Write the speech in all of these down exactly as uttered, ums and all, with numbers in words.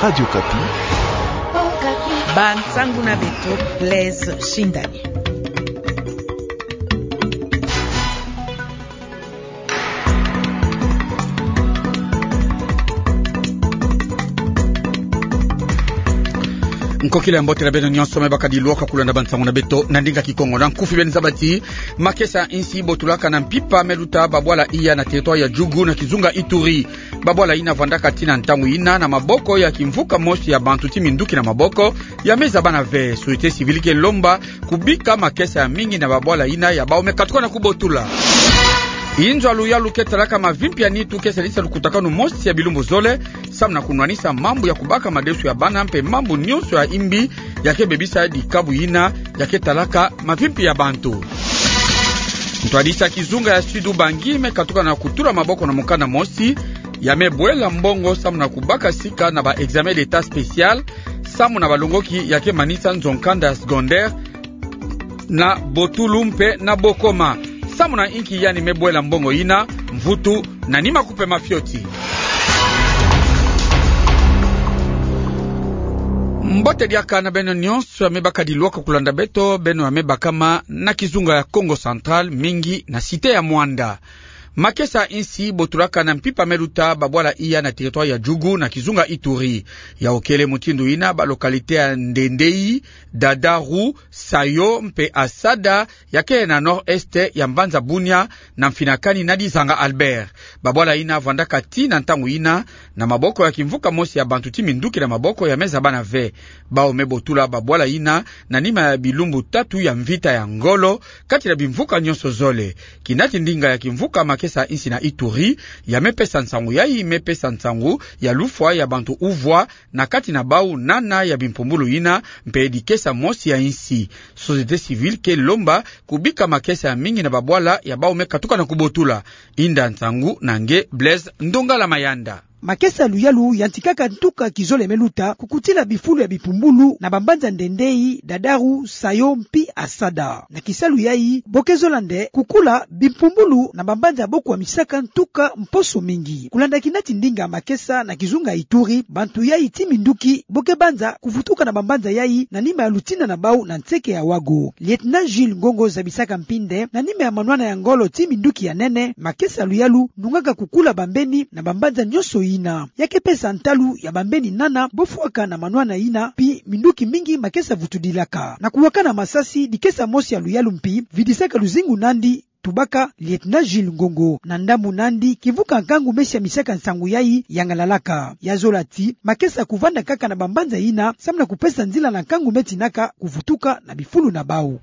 Radio Okapi. Bansangu na beto, Blaise Shindani. Nkokila ya mbote na beno nyonso me bakadi lwaka kulanda bansangu na beto na ndinga Kikongo. Na nkufi beno zaba ti makesa insi botulaka na mpimpa me luta babwala iya na territoire ya Djugu na kizunga Ituri. Babwala yina vandaka tii na ntangu yina na maboko ya kimvuka mosi ya bantu ti minduki na maboko ya me zabana ve. Société civile ke lomba kubika makesa ya mingi na babwala yina ya bau me katuka na kubotula. Inzo ya luyalu ke talaka mavimpi ya nitu ke salisa lukutakanu mosi ya bilumbu zole, samu na kunwanisa mambu ya kubaka madesu ya bana mpe mambu nyonso ya imbi ya ke bebisa dikabu yina ya ke talaka mavimpi ya bantu. Ntwadisi ya kizunga ya Sud-Ubangi me katuka na kutula maboko na mukanda mosi ya me bwela mbongo samu na kubaka sika na ba examen d'état spécial samu na balongoki ya ke manisa nzo-nkanda ya secondaire na Botulu mpe na Bokoma. Samu na inki yandi me bwela mbongo yina? Mvutu na nima kupe mafioti. Mbote diaka na beno nyonso ya me bakadi lwaka kulanda beto, beno ya me bakama na kizunga ya Kongo Central, mingi na cité ya Muanda. Makesa insi botulaka na mpimpa me luta babwala iya na territoire ya Djugu na kizunga Ituri. Yau kele mutindu yina ba localité ya Ndendei, Dadaru, Sayo mpe Asada ya ke na nord-est ya mbanza Bunia, na mfinakani na Dizanga Albert. Babwala yina vandaka tii na ntangu yina na maboko ya kimvuka mosi ya bantu ti minduki na maboko ya me zabana ve. Bau me botula babwala yina na nima ya bilumbu tatu ya mvita ya ngolo kati na bimvuka nyonso zole. Kinati ndinga ya kimvuka makesa insi na Ituri ya me pesa nsangu yai me pesa nsangu ya lufwa ya bantu uvwa na kati na bau nana ya bimpumbulu yina mpe dikesa mosi ya insi. Société civile ke lomba kubika makesa ya mingi na babwala ya bau me katuka na kubotula. Inda nsangu na nge Blaise Ndongala Mayanda. Makesa luyalu yantikaka ntuka kizole me luta kukutila bifulu ya bimpumbulu na bambanza Ndendei, Dadaru, Sayo mpi Asada. Na kisalu yai bo ke zola nde kukula bimpumbulu na bambanza bo kwamisaka ntuka mposo mingi. Kulanda kinati ndinga makesa na kizunga Ituri, bantu yai ti minduki bo ke banza kuvutuka na bambanza yai na nima ya lutina na bau na nseke ya Wago. Lieutenant Jules Ngongo zabisaka mpi nde na nima ya manwana ya ngolo ti minduki ya nene, makesa luyalu nungaka kukula bambeni na bambanza nyonso yina. Ya ke pesa ntalu ya bambeni nana bo fwaka na manwana yina, mpi minduki mingi makesa vutudilaka. Na kuwakana masasi, dikesa mosi ya luyalu mpi vidisaka luzingu nandi, tubaka Lieutenant Jules Ngongo. Na ndambu nandi, kivuka nkangu me siamisaka nsangu yai yangalalaka. Ya zola ti makesa kuvanda kaka na bambanza yina samu na kupesa nzila na nkangu me tinaka kuvutuka na bifulu na bau.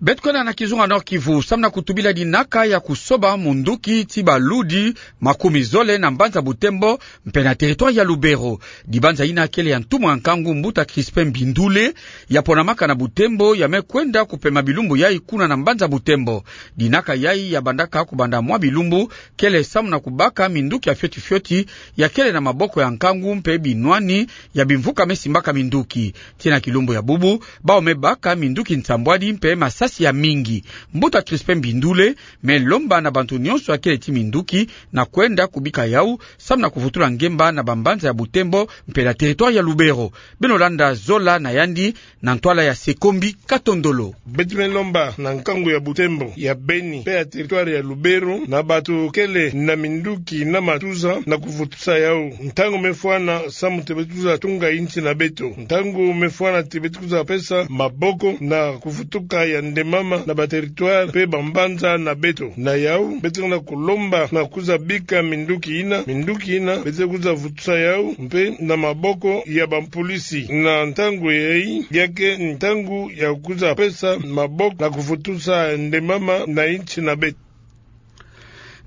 Beto kwenda na kizunga Nord-Kivu, samu na kutubila dinaka ya kusoba munduki ti baludi makumi zole na mbanza Butembo mpe na territoire ya Lubero. Dibanza yina kele ya ntumwa ya nkangu mbuta Crispin Bindule, ya ponamaka na Butembo, ya me kwenda kupema bilumbu yai kuna na mbanza Butembo. Dinaka yai ya bandaka kubanda mwa bilumbu, kele samu na kubaka minduki ya fioti fioti ya kele na maboko ya nkangu mpe binwani ya bimvuka me simbaka minduki. Tii na kilumbu ya bubu, bau me baka minduki nsambwadi mpe masasi ya mingi. Mbuta Crispin Bindule me lomba na bantu nyonso ya kele ti minduki na kwenda kubika yau, samu na kuvutula ngemba na bambanza ya Butembo mpe na territoire ya Lubero. Beno landa zola na yandi na ntwala ya Sekombi Katondolo. Beto me lomba na nkangu ya Butembo, ya Beni mpe ya territoire ya Lubero, na bato kele na minduki na matuza na kuvutusa yau. Ntangu me fwana, samu ti beto kwiza tunga insi na beto. Ntangu me fwana ti beto kwiza pesa maboko na kuvutuka ya ndemama na ba territoire mpe bambanza na beto. Na yau, beto na kulomba na kwiza bika minduki yina, minduki yina beto kwiza vutusa yau mpe na maboko ya bampolisi. Na ntangu yai, ya ke ntangu ya kwiza pesa maboko na kuvutusa ndemama na insi na beto.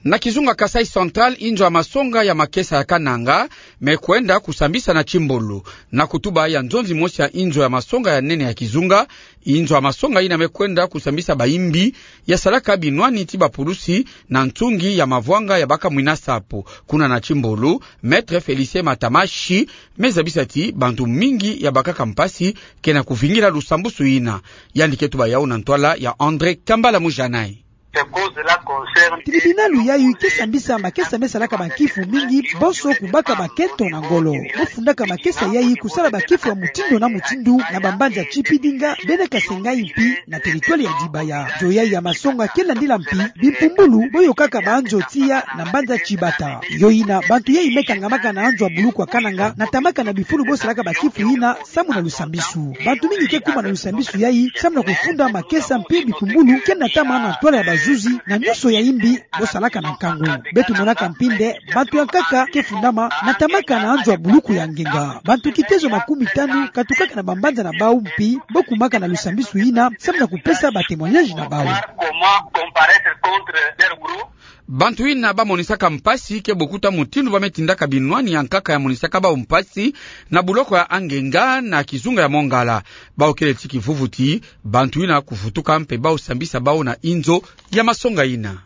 Na kizunga Kasaï Central, inzo ya masonga ya makesa ya Kananga me kwenda kusambisa na Timbolo. Na kutuba ya nzonzi mosi ya inzo ya masonga ya nene ya kizunga, inzo ya masonga yina me kwenda kusambisa bayimbi ya salaka binwani ti bapulusi na nsungi ya mavwanga ya baka mwina sapo. Kuna na Timbolo, Maître Félicien Matamashi me zabisa ti bantu mingi ya bakaka mpasi ke na kuvingila lusambusu yina. Yandi ke tuba yau na ntwala ya André Kambala Mujanai. Tribinalo yayi ke sambisa makesa me salaka bankifu mingi bonso kubaka bakento na ngolo. Bo fundaka makesa yayi kusala bankifu ya mutindu na mutindu na bambanza Tshipidinga, Bene-Kasengei mpi na territoire ya Dibaya. Nzo yayi ya masonga ke landila mpi bimpumbulu bo yokaka banzo tiya na mbanza Tshibata. Yo yina bantu yayi me kangamaka na nzo ya buluku ya Kananga, natamaka na bifulu bo salaka bankifu yina samu na lusambisu. Bantu mingi ke kuma na lusambisu yayi samu na kufunda makesa mpi bimpumbulu ke natama na ntwala ya bazuzi na nyonso ya yimbi bo salaka na nkangu. Beto monaka mpi nde bantu ya nkaka ke fundama natamaka na nzo ya buluku ya ngenga. Bantu kitezo makumitanu katukaka na bambanza na bawu mpi bo kumaka na lusambisu yina samu na kupesa ba témoignage na bawu. Bantu yina bamonisaka mpasi ke bokuta mutindu ba me tindaka binwani ya nkaka ya monisaka bawu mpasi na buloko ya angenga na kizunga ya Mongala. Bawu kele ti kivuvuti, bantu yina kuvutuka mpe bawu sambisa bawu na inzo ya masonga yina.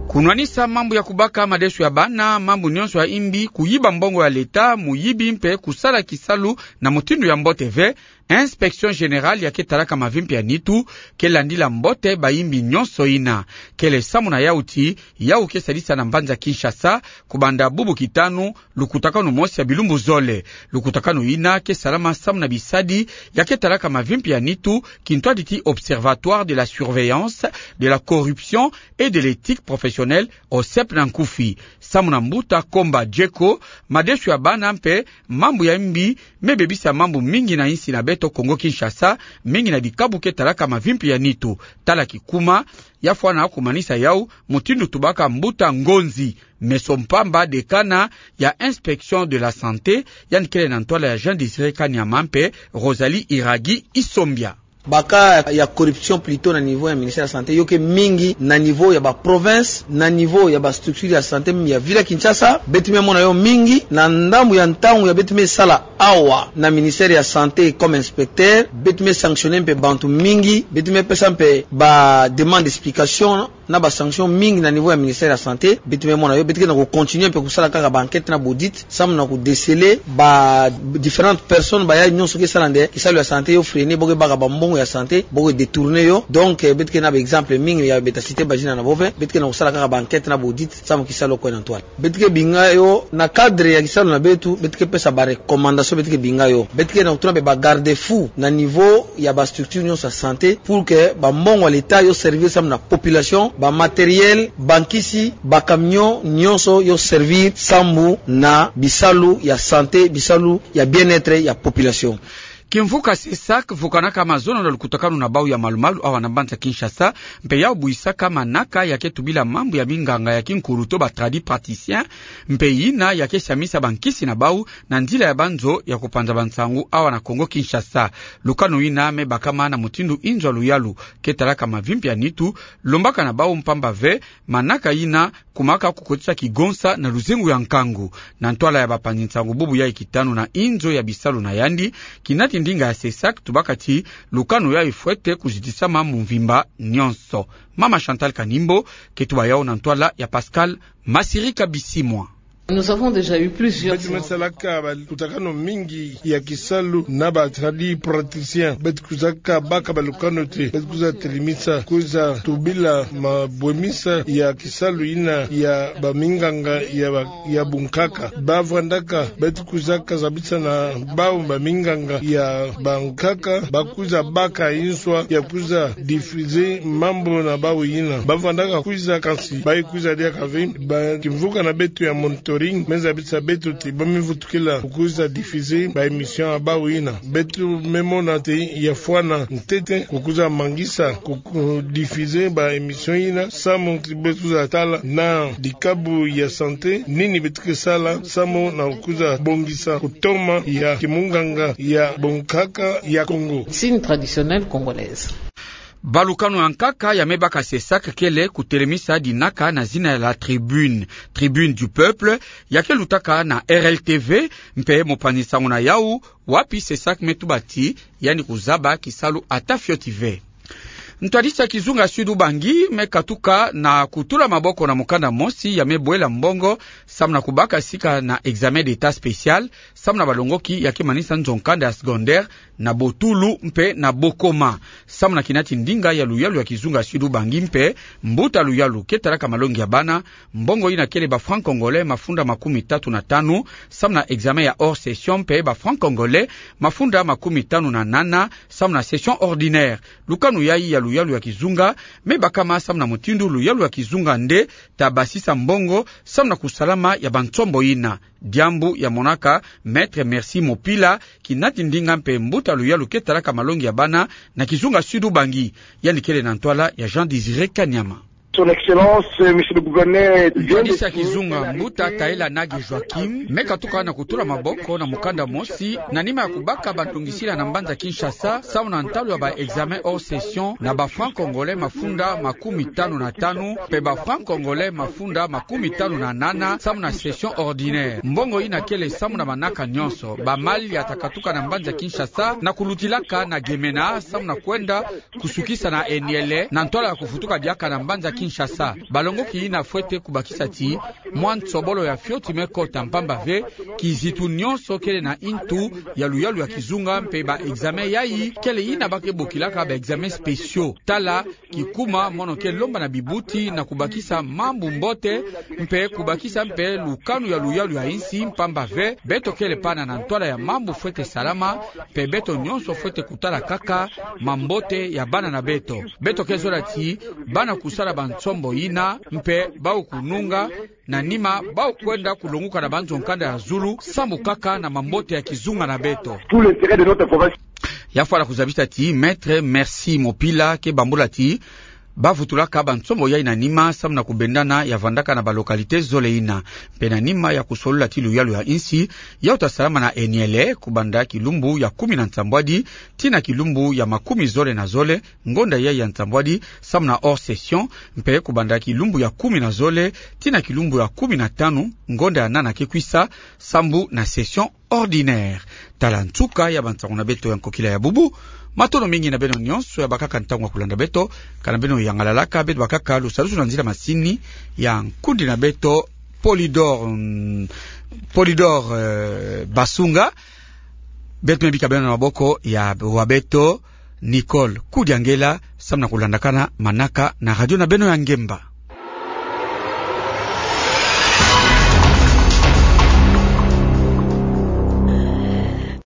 Kunwanisa mambu ya kubaka madesu ya bana, mambu nyonso ya yimbi, kuyiba mbongo ya leta, muyibi mpe kusala kisalu na mutindu ya mbote ve, Inspection Générale ya ke talaka mavimpi ya nitu ke landila mbote bayimbi nyonso yina. Kele samu na yawu ti yawu ke sadisa na mbanza Kinshasa kubanda bubu kitanu lukutakanu mosi ya bilumbu zole. Lukutakanu yina ke salama samu na bisadi ya ke talaka mavimpi ya nitu, kintwadi ti Observatoire de la surveillance de la corruption et de l'éthique professionnelle, OSEP na nkufi. Samu na mbuta Komba Djeko, madesu ya bana mpe mambu ya yimbi me bebisa mambu mingi na insi na beto Kongo Kinshasa, mingi na bikabu ke talaka mavimpi ya nitu. Tala kikuma, ya fwana kumanisa yawu mutindu tubaka mbuta Ngonzi Meso Mpamba, dekana ya Inspection de la Santé, yandi kele na ntwala ya Jean Désiré Kanyama mpe Rosalie Iragi Isombia. Ba cas ya corruption plutôt na niveau ya ministère ya santé, yo ke mingi na niveau ya ba province, na niveau ya ba structure ya santé, même ya ville ya Kinshasa. Beto me mona yo mingi na ndambu ya ntangu ya beto me sala awa na ministère ya santé comme inspecteur. Beto me sanctionner mpe bantu mingi, beto me pesa mpe ba demande d'explication na ba sanction mingi na niveau ya ministère ya santé. Beto me mona yo, beto ke na ku continuer mpe kusala kaka ba enquête na ba audit samu na ku déceler ba différentes personnes, bayayi nyonso ke sala nde kisalu ya santé yo freiner, bo ke baka bambongo ya santé, bo ke détourner yo. Donc, eh, beto ke na ba exemple mingi ya beta citer ba zina na bove. Beto ke na kusala kaka ba enquête na ba audit samu kisalu yo kwenda ntwala. Beto ke binga yo na cadre ya kisalu na beto, beto ke pesa ba recommandation, beto ke binga yo. Beto ke na kutuna mpe ba garde-fou na niveau ya ba structure nyonso ya santé pour que bambongo ya leta yo servir samu na population, ba matériel, ba nkisi, ba camion, nyonso yo servir samu na bisalu ya santé, bisalu ya bien-être ya population. Kimvuka CESAC vukanaka mazono na lukutakanu na bawu ya malumalu awa na mbanza Kinshasa, mpe yawu buyisaka manaka ya ke tubila mambu ya minganga ya kinkulu to ba tradipraticiens, mpe yina ya ke siamisa bankisi na bawu na nzila ya banzo ya kupanza bansangu awa na Kongo Kinshasa. Lukanu yina me bakama na mutindu inzo ya luyalu ke talaka mavimpi ya nitu lombaka na bawu, mpamba ve manaka yina kumaka kukotisa kigonsa na luzingu ya nkangu. Na ntwala ya bapanzi nsangu bubu yayi kitanu na inzo ya bisalu na yandi, kinati ndinga ya CESAC tubaka ti lukanu yayi fwete kuzitisama mu mvimba nyonso. Mama Chantal Kanimbo ke tuba yawu na ntwala ya Pascal Masirika Bisimwa. Nous avons déjà eu plusieurs... Beto me salaka balukutakanu mingi ya kisalu na ba tradipraticiens. Beto kwizaka baka balukanute, beto kwiza telimisa, kwiza tubila mabwemisa ya kisalu yina ya baminganga ya ba, ya bunkaka. Ba vandaka, beto kwizaka zabisa na bawu baminganga ya bankaka, ba kwiza baka inswa ya kwiza diffuser mambu na bawu yina. Ba vandaka kwiza, kansi bayi kwiza diaka ve. Ba kimvuka na beto ya monitoring me zabisa beto ti ba me vutukila kukwiza diffuser ba émission ya bawu yina. Beto me mona ti ya fwana ntete kukwiza mangisa ku, ku diffuser ba émission yina, samu ti beto kwiza tala na dikabu ya santé nini beto ke sala samu na kukwiza bongisa kutoma ya kimunganga ya bunkaka ya Kongo. Médecine traditionnelle congolaise. Balukanu ya nkaka ya me baka CESAC kele kutelemisa dinaka na zina ya La Tribune, Tribune du Peuple, ya ke lutaka na RLTV, mpe mopanzi nsangu na yawu, wapi CESAC me tuba ti yandi kuzaba kisalu ata fioti ve. Ntwadisi ya kizunga Sud-Ubangi me katuka na kutula maboko na mukanda mosi ya me bwela mbongo, samu na kubaka sika na examen d'Etat spécial, samu na balongoki ya ke manisa nzo-nkanda ya secondaire na Botulu mpe na Bokoma. Samu na kinati ndinga ya luyalu ya kizunga Sud-Ubangi mpe mbuta luyalu ke talaka malongi ya bana, mbongo ina kele ba francs congolais mafunda makumi tatu na tanu, samu na examen ya hors session mpe ba francs congolais mafunda makumi tanu na nana, samu na session ordinaire. Lukanu yayi ya luyalu ya kizunga me bakama samu na mutindu luyalu ya kizunga nde ta basisa mbongo samu na kusalama ya bansombo ina. Diambu ya monaka Maître Merci Mopila, kinati ndinga mpe mbuta luyalu ke talaka malongi ya bana na kizunga Sud-Ubangi. Yandi kele na ntwala ya Jean Désiré Kanyama. Son Excellence, euh, Monsieur le Gouverneur, vient de... Ntwadisi ya kizunga, mbuta Taila Nage Joachim me katuka na kutula maboko na mukanda mosi, na nima ya kubaka bantungisila na mbanza Kinshasa, samu na ntalu ya ba examen hors session, na ba francs congolais mafunda makumi tanu na tanu, mpe ba francs congolais mafunda makumi tanu na nana, samu na session ordinaire. Mbongo ina kele samu na manaka nyonso, ba mal ya ta katuka na mbanza Kinshasa, na kulutilaka na Gemena, samu na kwenda kusukisa na Niele, na ntwala ya kufutuka diaka na mbanza Kinshasa. Balongoki ina fwete kubakisa ti mwa nsobolo ya fioti me kota, mpamba ve kizitu nyonso kele na ntu ya luyalu ya kizunga, mpe ba examen yayi kele ina ba ke bokilaka ba examen spéciaux. Tala kikuma mono ke lomba na bibuti na kubakisa mambu mbote, mpe kubakisa mpe lukanu ya luyalu ya insi, mpamba ve beto kele pana na ntwala ya mambu fwete salama, mpe beto nyonso fwete kutala kaka mambote ya bana na beto. Beto ke zola ti bana kusala bansombo ina, mpe bau kununga, na nima bau kwenda kulonguka na banzo-nkanda ya zulu, sambu kaka na mambote ya kizunga na beto. Tout l'intérêt de notre province. Ya fwala kuzabisa ti Maître Merci Mopila ke bambula ti ba vutulaka bansombo yayi na nima, samu na kubendana ya vandaka na ba localité zole ina. Mpe na nima ya kusolola ti luyalu ya insi yau ta salama na Niele, kubanda kilumbu ya kumi na nsambwadi tii na kilumbu ya makumi zole na zole, ngonda yayi ya nsambwadi, samu na hors session, mpe kubanda kilumbu ya kumi na zole tii na kilumbu ya kumi na tanu, ngonda ya nana ke kwisa, sambu na session ordinaire. Tala nsuka ya bansangu na beto ya nkokila ya bubu. Matondo mingi na beno nyonso ya bakaka ntangu ya kulanda beto. Kana beno yangalalaka, beto bakaka lusalusu na nzila masini ya nkundi na beto, Polidor, mm, Polidor, euh, Basunga. Beto me bika beno na maboko ya wa beto, Nicole Kudiangela, samu na kulandakana manaka na radio na beno ya ngemba.